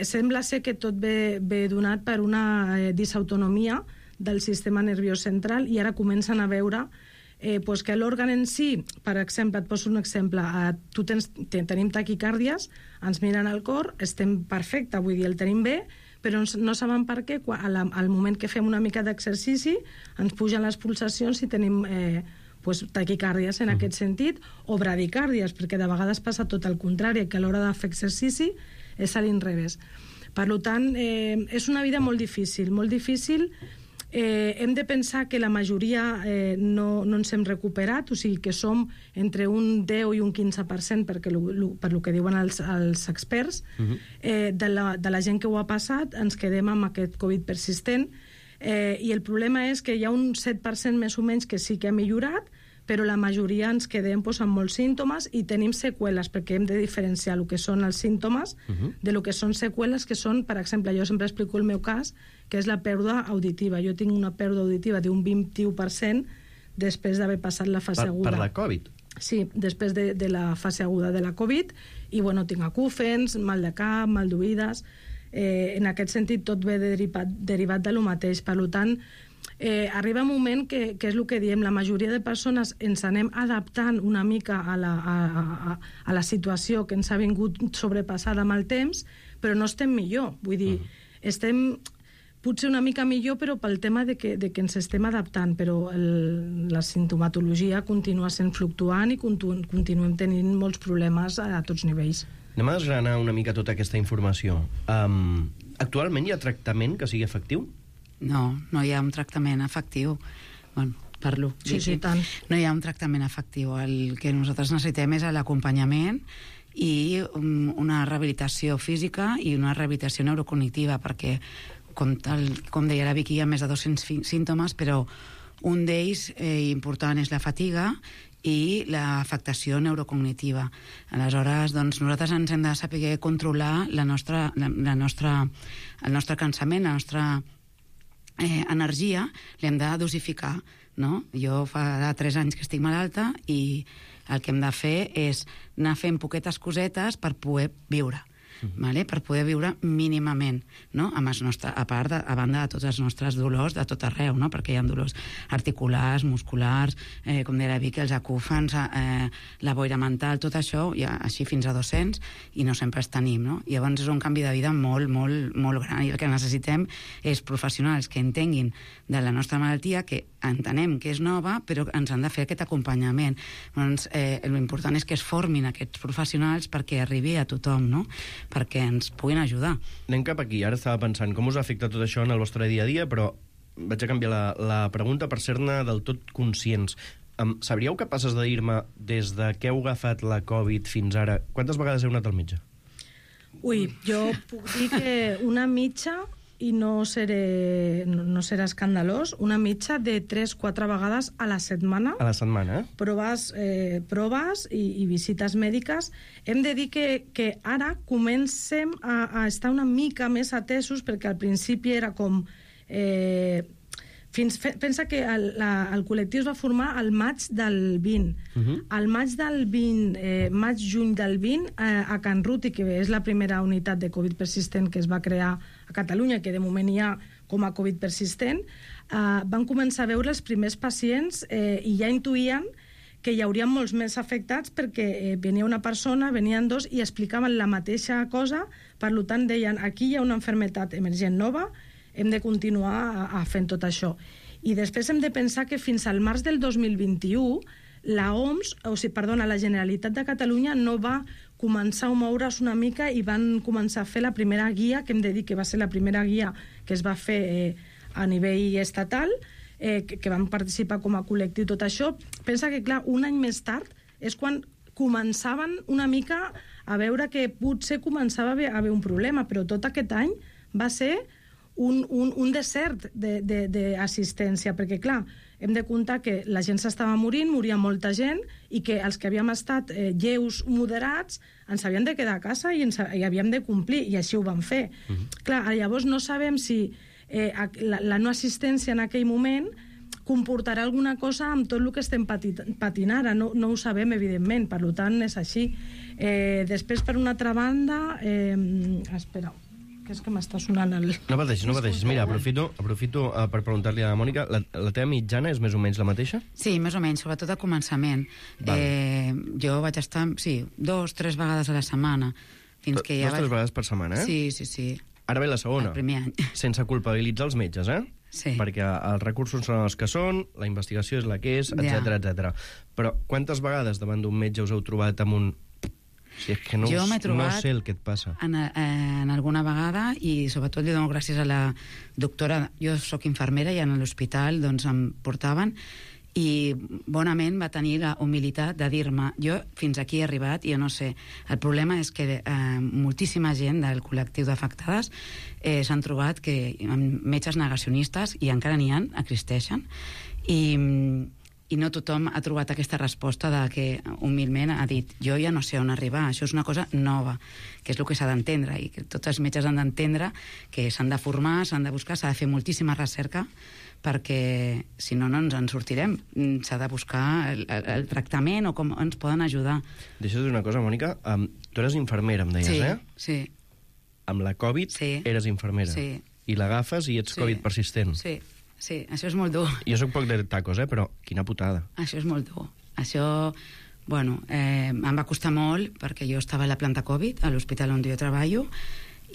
sembla ser que tot ve donat per una disautonomia del sistema nerviós central, i ara comencen a veure que l'òrgan en si, per exemple, et poso un exemple, tenim taquicàrdies, ens miren el cor, estem perfecte, vull dir, el tenim bé, però no saben per què, al moment que fem una mica d'exercici ens pugen les pulsacions i tenim taquicàrdies en aquest sentit, o bradicàrdies, perquè de vegades passa tot el contrari, que a l'hora de fer exercici és a l'inrevés. Per tant, és una vida molt difícil, molt difícil. Hem de pensar que la majoria no ens hem recuperat, o sigui que som entre un 10 i un 15%, per lo que diuen els experts, de la gent que ho ha passat, ens quedem amb aquest Covid persistent, i el problema és que hi ha un 7% més o menys que sí que ha millorat, però la majoria ens quedem amb molts símptomes i tenim seqüeles, perquè hem de diferenciar el que són els símptomes de lo que són seqüeles, que són, per exemple, jo sempre explico el meu cas, que és la pèrdua auditiva. Jo tinc una pèrdua auditiva d'un 21% després d'haver passat la fase aguda. Per la Covid? Sí, després de la fase aguda de la Covid, i bueno, tinc acúfens, mal de cap, mal d'oïdes. En aquest sentit, tot ve derivat de lo mateix. Per tant, arriba un moment que és el que diem, la majoria de persones ens anem adaptant una mica a la situació que ens ha vingut sobrepassada amb el temps, però no estem millor. Vull dir, estem potser una mica millor, però pel tema de que ens estem adaptant, però la sintomatologia continua sent fluctuant i continuem tenint molts problemes a tots nivells. Anem a desgranar una mica tota aquesta informació. Actualment hi ha tractament que sigui efectiu? No hi ha un tractament efectiu. Bueno, parlo. Sí, tant. No hi ha un tractament efectiu. El que nosaltres necessitem és l'acompanyament i una rehabilitació física i una rehabilitació neurocognitiva, perquè, com deia la Vicky, hi ha més de 200 símptomes, però un d'ells important és la fatiga i l'afectació neurocognitiva. Aleshores, doncs, nosaltres ens hem de saber controlar el nostre cansament, la nostra energia, l'hem de dosificar, no? Jo fa 3 anys que estic malalta i el que hem de fer és anar fent poquetes cosetes per poder viure. Vale? Per poder viure mínimament, no? A banda de tots els nostres dolors de tot arreu, no? Perquè hi ha dolors articulars, musculars, com deia la Vicky, els acúfens, la boira mental, tot això, ja, així fins a 200, i no sempre els tenim, no? Llavors és un canvi de vida molt, molt, molt gran, i el que necessitem és professionals que entenguin de la nostra malaltia, que entenem que és nova, però ens han de fer aquest acompanyament. Doncs l'important és que es formin aquests professionals perquè arribi a tothom, no? Perquè ens puguin ajudar. Anem cap aquí. Ara estava pensant com us afecta tot això en el vostre dia a dia, però vaig a canviar la pregunta per ser-ne del tot conscients. Sabríeu capaces de dir-me, des de que heu agafat la Covid fins ara, quantes vegades heu anat al metge? Ui, jo puc dir que una mitja, i no serà escandalós, una mitja de 3-4 vegades a la setmana. A la setmana, proves i visites mèdiques. Hem de dir que ara comencem a estar una mica més atesos, perquè al principi era com... Pensa que el col·lectiu es va formar al maig del 20. Al maig-juny del 20, a Can Ruti, que és la primera unitat de Covid persistent que es va crear a Catalunya, que de moment hi ha com a Covid persistent, van començar a veure els primers pacients i ja intuïen que hi haurien molts més afectats, perquè venia una persona, venien dos i explicaven la mateixa cosa. Per tant, deien, aquí hi ha una malaltia emergent nova, hem de continuar fent tot això. I després hem de pensar que fins al març del 2021 la Generalitat de Catalunya no va començar a moure's una mica i van començar a fer la primera guia, que hem de dir que va ser la primera guia que es va fer a nivell estatal, que van participar com a col·lectiu tot això. Pensa que, clar, un any més tard és quan començaven una mica a veure que potser començava a haver un problema, però tot aquest any va ser un desert d'assistència, perquè, clar, hem de comptar que la gent s'estava morint, moria molta gent, i que els que havíem estat lleus, moderats, ens havíem de quedar a casa i havíem de complir, i així ho vam fer. Clar, llavors no sabem si la no assistència en aquell moment comportarà alguna cosa amb tot el que estem patint ara. No ho sabem, evidentment, per tant és així. Després, per una altra banda, espera, que és que m'està sonant el... No pateixis. Mira, aprofito per preguntar-li a la Mònica, la teva mitjana és més o menys la mateixa? Sí, més o menys, sobretot al començament. Jo vaig estar, 2-3 vegades a la setmana. Fins que ja 2-3 vegades per setmana, Sí. Ara ve la segona. El primer any. Sense culpabilitzar els metges, Sí. Perquè els recursos són els que són, la investigació és la que és, etc etc. Però quantes vegades davant d'un metge us heu trobat amb un... Si és que no sé el que et passa. En alguna vegada, i sobretot li dono gràcies a la doctora. Jo sóc infermera i en l'hospital doncs, em portaven, i bonament va tenir la humilitat de dir-me, jo fins aquí he arribat, i jo no sé. El problema és que moltíssima gent del col·lectiu d'afectades s'han trobat que amb metges negacionistes, i encara n'hi ha, existeixen, i no tothom ha trobat aquesta resposta de que humilment ha dit, jo ja no sé on arribar, això és una cosa nova, que és el que s'ha d'entendre, i que tots els metges han d'entendre que s'han de formar, s'han de buscar, s'ha de fer moltíssima recerca, perquè si no, no ens en sortirem. S'ha de buscar el tractament o com ens poden ajudar. Deixa't dir una cosa, Mònica, tu eres infermera, em deies, Sí. Amb la Covid eres infermera. Sí. I l'agafes i ets Covid persistent. Sí, això és molt dur. Jo soc poc de tacos, però quina putada. Això és molt dur. Això, bueno, em va costar molt perquè jo estava a la planta Covid, a l'hospital on jo treballo,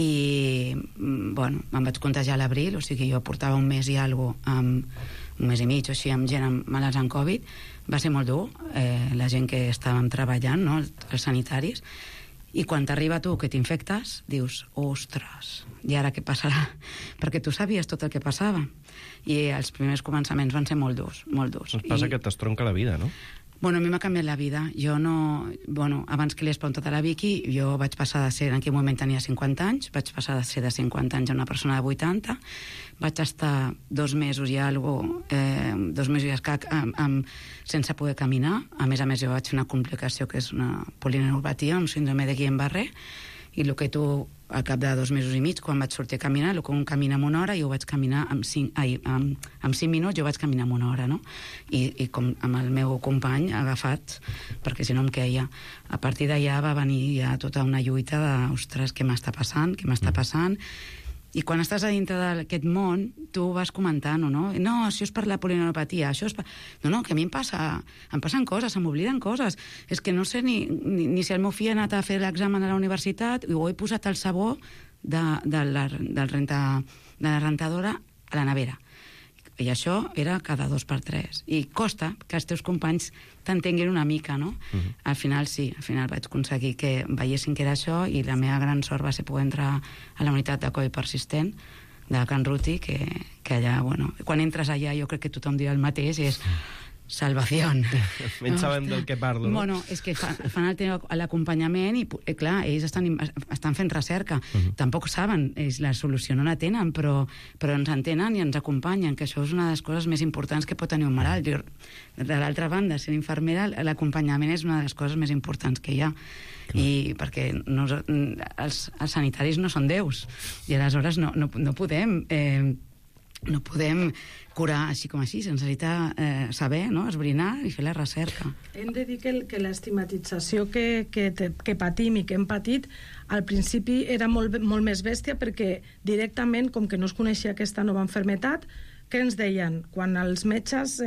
i, bueno, em vaig contagiar a l'abril, o sigui, jo portava un mes i alguna cosa, un mes i mig o així, amb gent malalts amb Covid. Va ser molt dur, la gent que estàvem treballant, no?, els sanitaris, i quan t'arriba tu que t'infectes, dius, ostres, i ara què passarà? Perquè tu sabies tot el que passava, i els primers començaments van ser molt durs, molt durs. Ens passa que t'estronca la vida, no? Bueno, a mi m'ha canviat la vida. Jo no... Bueno, abans que li he espantat a la Vicky, jo vaig passar de ser, en aquell moment tenia 50 anys, vaig passar de ser de 50 anys a una persona de 80, vaig estar 2 mesos i alguna cosa, 2 mesos i escac, sense poder caminar. A més, jo vaig fer una complicació que és una polineuropatia, un síndrome de Guillain-Barré, i el que tu, al cap de 2 mesos i mig, quan vaig sortir a caminar, el que un camina en 1 hora, jo vaig caminar en 5 minuts, jo vaig caminar en 1 hora, no? I com amb el meu company agafat, perquè si no em queia. A partir d'allà va venir ja tota una lluita de, ostres, què m'està passant, I quan estàs a dintre d'aquest món, tu vas comentant, no? No, això és per la polineuropatia, això és per... No, que a mi em passen coses, se m'obliden coses. És que no sé ni si el meu fill ha anat a fer l'examen a la universitat o he posat el sabó de la rentadora a la nevera. I això era cada 2 per 3. I costa que els teus companys t'entenguin una mica, no? Al final vaig aconseguir que veiessin que era això, i la meva gran sort va ser poder entrar a la unitat de Covid persistent de Can Ruti, que allà, bueno, quan entres allà jo crec que tothom dirà el mateix, és salvación. Menys saben del que parlo, no? Bueno, és que fan l'acompanyament i, clar, ells estan fent recerca. Tampoc saben, la solució no la tenen, però ens entenen i ens acompanyen, que això és una de les coses més importants que pot tenir un malalt. De l'altra banda, sent infermera, l'acompanyament és una de les coses més importants que hi ha. I perquè els sanitaris no són déus, i aleshores no podem curar així com així, se'ns necessita saber, no?, esbrinar i fer la recerca. Hem de dir que l'estigmatització que patim i que hem patit al principi era molt més bèstia, perquè directament, com que no es coneixia aquesta nova malaltia, què ens deien? Quan els metges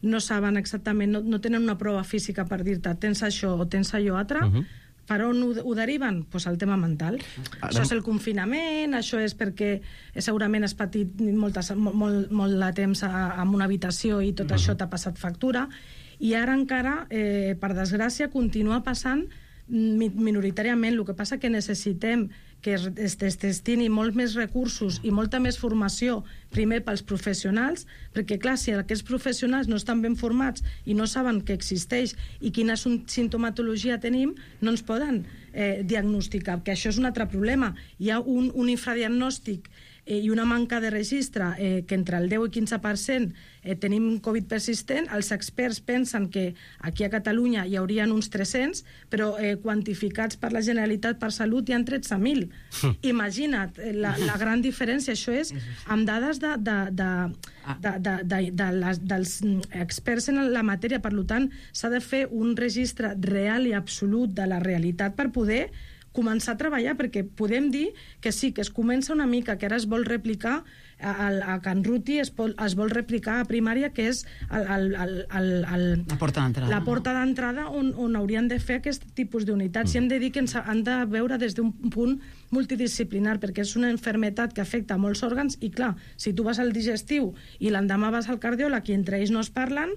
no saben exactament, no tenen una prova física per dir-te tens això o tens allò altre, per on ho deriven? Pues al tema mental. Això és el confinament, això és perquè segurament has patit molt de temps en una habitació i tot això t'ha passat factura, i ara encara, per desgràcia, continua passant minoritàriament. El que passa que necessitem que es destini molts més recursos i molta més formació, primer pels professionals, perquè clar, si aquests professionals no estan ben formats i no saben que existeix i quina sintomatologia tenim, no ens poden diagnosticar, que això és un altre problema. Hi ha un infradiagnòstic i una manca de registre, que entre el 10 i 15% tenim Covid persistent. Els experts pensen que aquí a Catalunya hi haurien uns 300, però quantificats per la Generalitat per Salut hi ha 13.000. Imagina't la gran diferència. Això és amb dades dels experts en la matèria. Per tant, s'ha de fer un registre real i absolut de la realitat per poder començar a treballar, perquè podem dir que sí, que es comença una mica, que ara es vol replicar a Can Ruti, es vol replicar a primària, que és la porta d'entrada. La porta d'entrada on haurien de fer aquest tipus d'unitats. I hem de dir que ens han de veure des d'un punt multidisciplinar, perquè és una malaltia que afecta molts òrgans i, clar, si tu vas al digestiu i l'endemà vas al cardiòleg i entre ells no es parlen,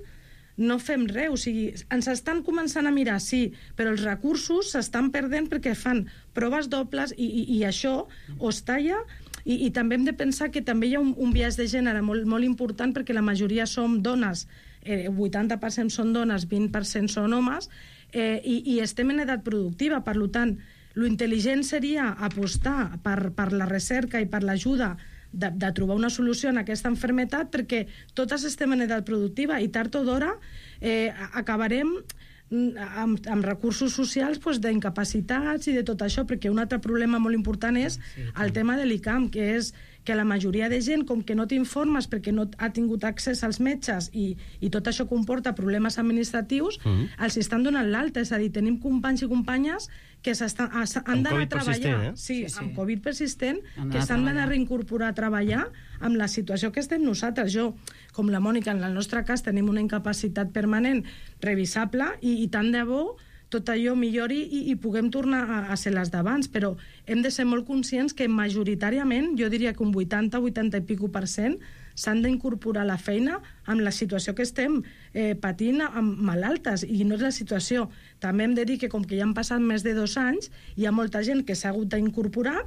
no fem res. O sigui, ens estan començant a mirar, sí, però els recursos s'estan perdent perquè fan proves dobles i això o es talla. I també hem de pensar que també hi ha un biaix de gènere molt important, perquè la majoria som dones, 80% són dones, 20% són homes, i estem en edat productiva. Per tant, lo intel·ligent seria apostar per la recerca i per l'ajuda de trobar una solució en aquesta malaltia, perquè totes estem en edat productiva i tard o d'hora acabarem amb recursos socials d'incapacitats i de tot això, perquè un altre problema molt important és el tema de l'ICAM, que és que la majoria de gent, com que no t'informes perquè no ha tingut accés als metges i tot això comporta problemes administratius, els estan donant l'alta. És a dir, tenim companys i companyes que han d'anar a treballar amb Covid persistent, que s'han d'anar a reincorporar a treballar amb la situació que estem nosaltres. Jo, com la Mònica, en el nostre cas tenim una incapacitat permanent revisable i tant de bo tot allò millori i puguem tornar a ser les d'abans, però hem de ser molt conscients que majoritàriament, jo diria que un 80 i pico % s'han d'incorporar a la feina amb la situació que estem patint amb malaltes, i no és la situació. També hem de dir que com que ja han passat més de 2 anys, hi ha molta gent que s'ha hagut d'incorporar,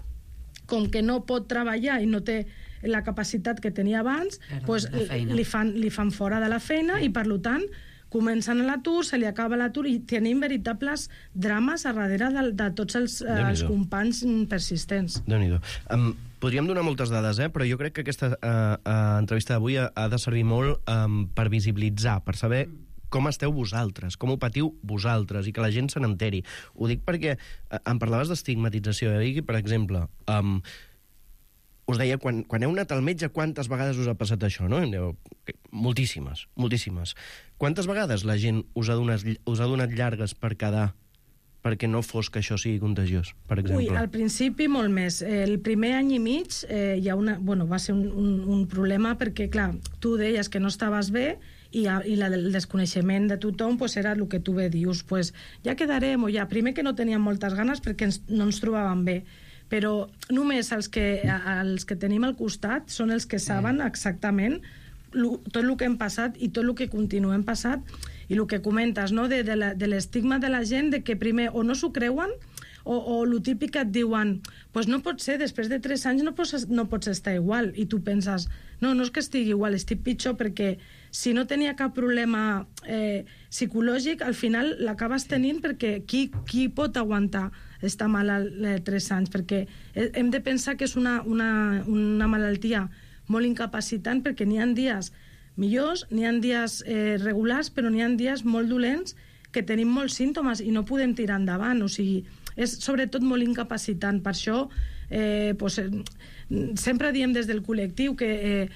com que no pot treballar i no té la capacitat que tenia abans, li fan fora de la feina i, per tant, comencen a l'atur, se li acaba l'atur i tenim veritables drames a darrere de tots els companys persistents. Déu-n'hi-do. Podríem donar moltes dades, però jo crec que aquesta entrevista d'avui ha de servir molt per visibilitzar, per saber com esteu vosaltres, com ho patiu vosaltres, i que la gent se n'enteri. Ho dic perquè em parlaves d'estigmatització. Per exemple, us deia, quan heu anat al metge, quantes vegades us ha passat això, no? Moltíssimes, moltíssimes. Quantes vegades la gent us ha donat llargues per quedar perquè no fos que això sigui contagiós, per exemple? Al principi molt més. El primer any i mig va ser un problema perquè, clar, tu deies que no estaves bé i el desconeixement de tothom era el que tu bé dius, ja quedarem, o ja, primer que no teníem moltes ganes perquè no ens trobàvem bé, però només els que tenim al costat són els que saben exactament tot el que hem passat i tot el que continuem passat, i el que comentes, no? de l'estigma de la gent, de que primer o no s'ho creuen o el típic que et diuen no pot ser, després de 3 anys no pots estar igual, i tu penses no és que estigui igual, estic pitjor, perquè si no tenia cap problema psicològic, al final l'acabes tenint, perquè qui pot aguantar estar malalt 3 anys? Perquè hem de pensar que és una malaltia molt incapacitant, perquè n'hi ha dies millors, n'hi ha dies regulars, però n'hi ha dies molt dolents que tenim molts símptomes i no podem tirar endavant. O sigui, és sobretot molt incapacitant. Per això sempre diem des del col·lectiu que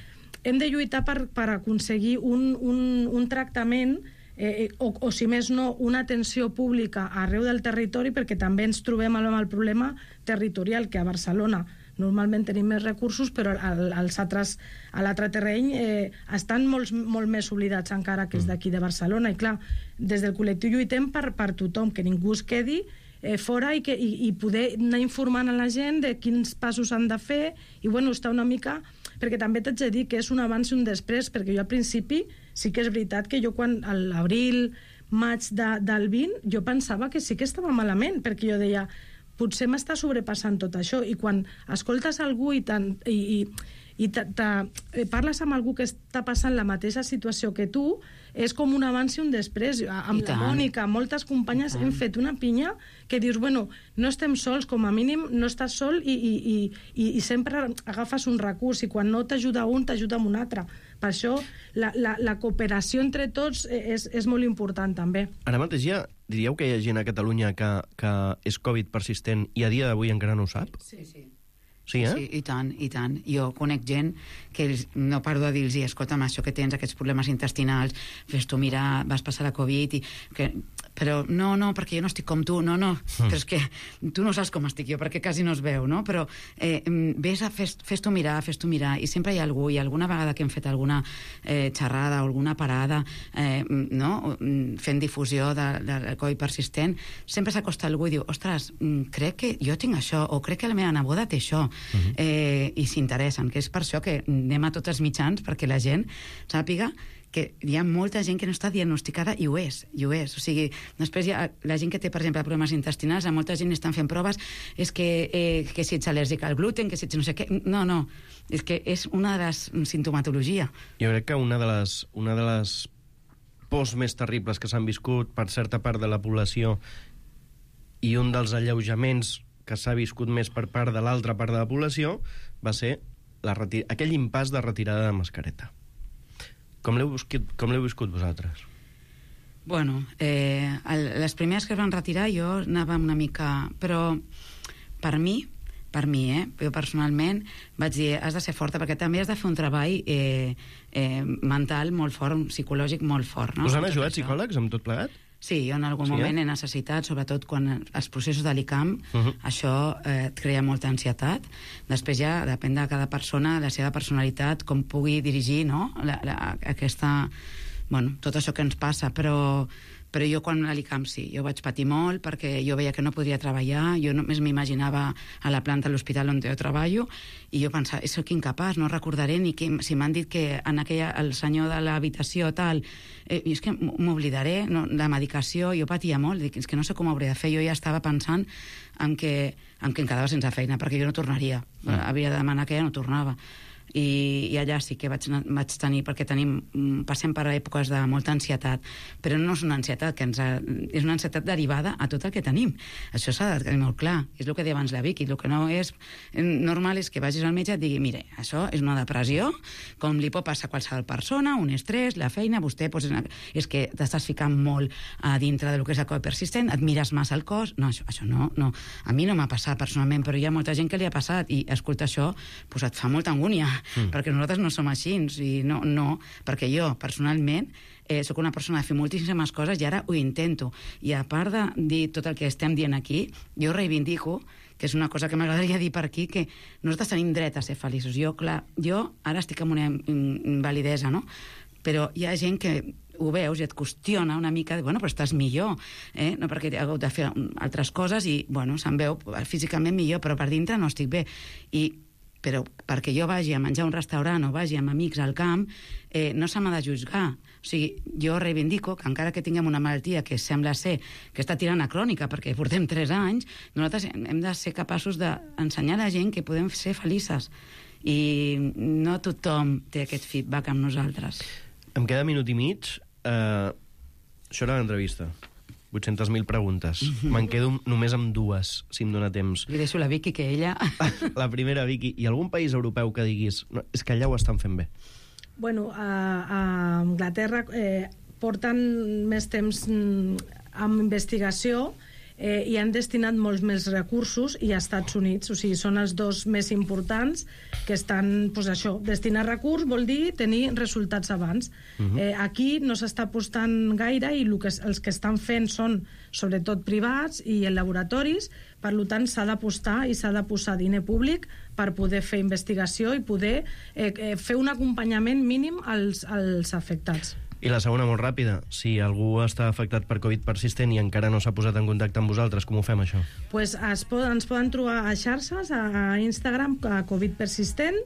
hem de lluitar per aconseguir un tractament o si més no, una atenció pública arreu del territori, perquè també ens trobem amb el problema territorial, que a Barcelona normalment tenim més recursos, però a l'altre terreny estan molt més oblidats encara que els d'aquí de Barcelona. I clar, des del col·lectiu lluitem per tothom, que ningú es quedi fora i poder anar informant a la gent de quins passos han de fer i estar una mica, perquè també t'haig de dir que és un abans i un després, perquè jo al principi sí que és veritat que jo quan a l'abril, maig del 20, jo pensava que sí que estava malament, perquè jo deia potser m'està sobrepassant tot això, i quan escoltes algú i parles amb algú que està passant la mateixa situació que tu, és com un abans i un després. Amb la Mònica, moltes companyes hem fet una pinya que dius, no estem sols, com a mínim no estàs sol i sempre agafes un recurs, i quan no t'ajuda un, t'ajuda amb un altre. Per això la cooperació entre tots és molt important també. Ara mateix diríeu que hi ha gent a Catalunya que és Covid persistent i a dia d'avui encara no ho sap? Sí. Sí, Sí, i tant, i tant. Jo conec gent que no paro de dir-los, escolta'm, això que tens, aquests problemes intestinals, fes-t'ho mirar, vas passar la Covid, però no, perquè jo no estic com tu, no, però és que tu no saps com estic jo, perquè quasi no es veu, no? Però fes-t'ho mirar, i sempre hi ha algú, i alguna vegada que hem fet alguna xerrada o alguna parada, no? Fent difusió del Covid persistent, sempre s'acosta algú i diu, ostres, crec que jo tinc això, o crec que la meva neboda té això, i s'interessen, que és per això que anem a tots els mitjans, perquè la gent sàpiga que hi ha molta gent que no està diagnosticada i ho és. O sigui, després hi ha la gent que té, per exemple, problemes intestinals, a molta gent estan fent proves, és que si ets al·lèrgic al gluten, que si ets no sé què... No, és que és una de les sintomatologia. Jo crec que una de les pors més terribles que s'han viscut per certa part de la població i un dels alleujaments que s'ha viscut més per part de l'altra part de la població va ser aquell impàs de retirada de mascareta. Com l'heu viscut vosaltres? Bueno, les primeres que es van retirar jo anava una mica... Però per mi, jo personalment vaig dir, has de ser forta, perquè també has de fer un treball mental molt fort, psicològic molt fort. No? Us han ajudat psicòlegs amb tot plegat? Sí, jo en algun moment he necessitat, sobretot quan els processos de l'ICAM, això et crea molta ansietat. Després ja depèn de cada persona, la seva personalitat, com pugui dirigir, no? Tot això que ens passa, però jo quan a l'ICAM sí, jo vaig patir molt perquè jo veia que no podria treballar, jo només m'imaginava a la planta de l'hospital on jo treballo i jo pensava, soc incapaç, no recordaré ni que, si m'han dit que el senyor de l'habitació tal, i és que m'oblidaré, no, la medicació, jo patia molt, dic, és que no sé com ho hauré de fer, jo ja estava pensant en que em quedava sense feina perquè jo no tornaria, havia de demanar que ja no tornava. I allà sí que vaig tenir, perquè passem per èpoques de molta ansietat, però no és una ansietat és una ansietat derivada a tot el que tenim. Això s'ha de tenir molt clar, és el que deia abans la Vicky, el que no és normal és que vagis al metge i et digui, mire, això és una depressió, com li pot passar a qualsevol persona, un estrès, la feina, vostè és que t'estàs ficant molt a dintre del que és el Covid persistent, et mires massa el cos, no, això no, a mi no m'ha passat personalment, però hi ha molta gent que li ha passat i escolta això, doncs et fa molta angúnia, perquè nosaltres no som així, i no, perquè jo, personalment, sóc una persona de fer moltíssimes coses i ara ho intento. I a part de dir tot el que estem dient aquí, jo reivindico, que és una cosa que m'agradaria dir per aquí, que nosaltres tenim dret a ser feliços. Jo ara estic amb una invalidesa, no? Però hi ha gent que ho veus i et qüestiona una mica, bueno, però estàs millor, no perquè he hagut de fer altres coses i, bueno, se'm veu físicament millor, però per dintre no estic bé. Però perquè jo vagi a menjar a un restaurant o vagi amb amics al camp, no se m'ha de juzgar. O sigui, jo reivindico que encara que tinguem una malaltia que sembla ser que està tirant a crònica perquè portem 3 anys, nosaltres hem de ser capaços d'ensenyar a la gent que podem ser felices. I no tothom té aquest feedback amb nosaltres. Em queda minut i mig. Això era l'entrevista. 800.000 preguntes. Me'n quedo només amb 2, si em dóna temps. Li deixo la Vicky, que ella... La primera, Vicky. I algun país europeu que diguis no, és que allà ho estan fent bé? Bueno, a Anglaterra porten més temps amb investigació i han destinat molts més recursos, i a Estats Units, o sigui, són els dos més importants que estan, doncs això, destinar recursos vol dir tenir resultats abans. Aquí no s'està apostant gaire i els que estan fent són sobretot privats i en laboratoris, per tant s'ha d'apostar i s'ha de posar diner públic per poder fer investigació i poder fer un acompanyament mínim als afectats. I la segona, molt ràpida, si algú està afectat per Covid persistent i encara no s'ha posat en contacte amb vosaltres, com ho fem, això? Pues ens poden trobar a xarxes, a Instagram, a Covid persistent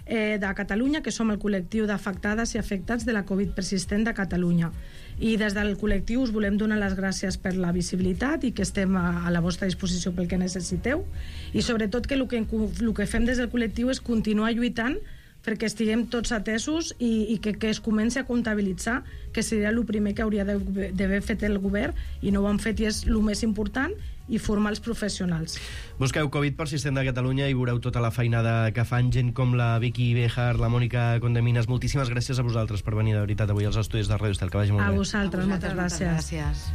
de Catalunya, que som el col·lectiu d'afectades i afectats de la Covid persistent de Catalunya. I des del col·lectiu us volem donar les gràcies per la visibilitat i que estem a la vostra disposició pel que necessiteu. I sobretot que el que fem des del col·lectiu és continuar lluitant perquè estiguem tots atesos i que es comenci a comptabilitzar, que seria el primer que hauria d'haver fet el govern i no ho han fet, i és el més important, i formar els professionals. Busqueu Covid persistent de Catalunya i veureu tota la feinada que fan gent com la Vicky Béjar, la Mònica Condeminas. Moltíssimes gràcies a vosaltres per venir, de veritat, avui als estudis de Ràdio Estel. Que vagi molt bé. A vosaltres, moltes gràcies.